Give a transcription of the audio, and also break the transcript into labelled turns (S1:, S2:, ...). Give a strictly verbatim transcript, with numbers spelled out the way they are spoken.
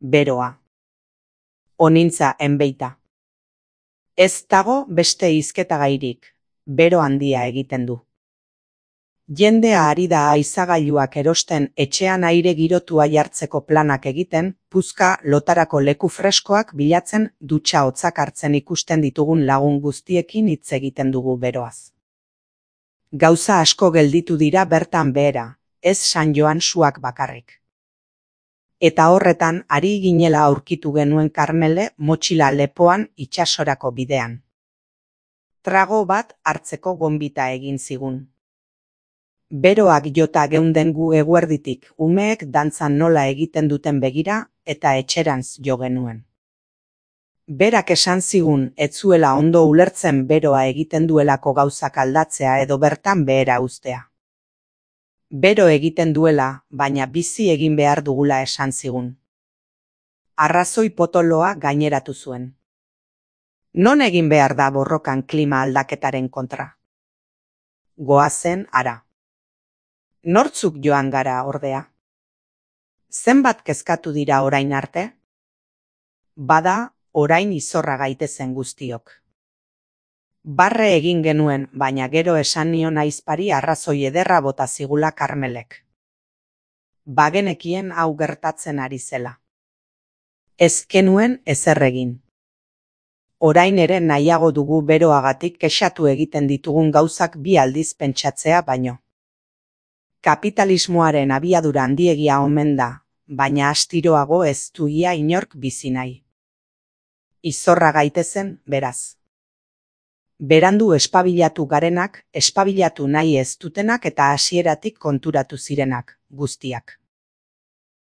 S1: Beroa. Onintza enbeita. Ez dago beste hizketagairik, bero handia egiten du. Jendea ari da aizagailuak erosten etxean aire girotua jartzeko planak egiten, puzka lotarako leku freskoak bilatzen dutxa hotzak hartzen ikusten ditugun lagun guztiekin hitz egiten dugu beroaz. Gauza asko gelditu dira bertan behera, ez San Joan suak bakarrik. Eta horretan ari ginela aurkitu genuen Karmele motxila lepoan itsasorako bidean. Trago bat hartzeko gonbita egin zigun. Beroak jota geunden gu eguerditik umeek dantzan nola egiten duten begira eta etxerantz jo genuen. Berak esan zigun ez zuela ondo ulertzen beroa egiten duelako gauzak aldatzea edo bertan behera uztea. Bero egiten duela, baina bizi egin behar dugula esan zigun. Arrazoi potoloa gaineratu zuen. Non egin behar da borrokan klima aldaketaren kontra? Goazen hara. Nortzuk joan gara ordea? Zenbat kezkatu dira orain arte? Bada, orain izorra gaitezen guztiok. Barre egin genuen, baina gero esan nion aizpari arrazoi ederra bota zigula Karmelek. Bagenekien hau gertatzen ari zela. Ez genuen ezer egin. Orain ere nahiago dugu beroagatik kexatu egiten ditugun gauzak bi aldiz pentsatzea baino. Kapitalismoaren abiadura handiegia omen da, baina astiroago ez du ia inork bizi nahi. Izorra gaitezen, beraz. Berandu espabilatu garenak, espabilatu nahi ez dutenak eta hasieratik konturatu zirenak, guztiak.